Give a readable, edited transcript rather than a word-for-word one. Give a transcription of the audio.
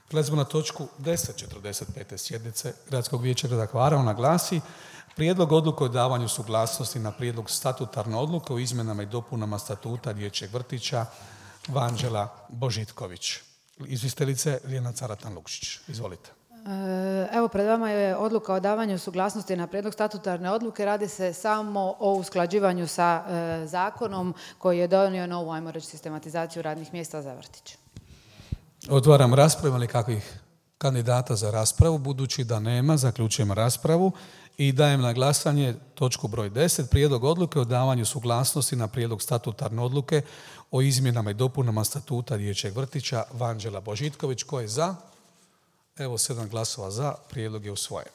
Prelazimo na točku 10. 45. sjednice Gradskog vijeća grada Hvara. Ona glasi: Prijedlog odluke o davanju suglasnosti na prijedlog statutarne odluke o izmjenama i dopunama statuta dječjeg vrtića Vanđela Božitković. Izvjestiteljice Ljiljana Caratan-Lukšić. Izvolite. Evo, pred vama je odluka o davanju suglasnosti na prijedlog statutarne odluke. Radi se samo o usklađivanju sa zakonom koji je donio novu, ajmo reći, sistematizaciju radnih mjesta za vrtić. Otvaram raspravu. Ima li kakvih kandidata za raspravu? Budući da nema, zaključujem raspravu i dajem na glasanje točku broj 10. Prijedlog odluke o davanju suglasnosti na prijedlog statutarne odluke o izmjenama i dopunama statuta dječjeg vrtića Vanđela Božitković. Ko je za? Evo 7 glasova za. Prijedlog je usvojen.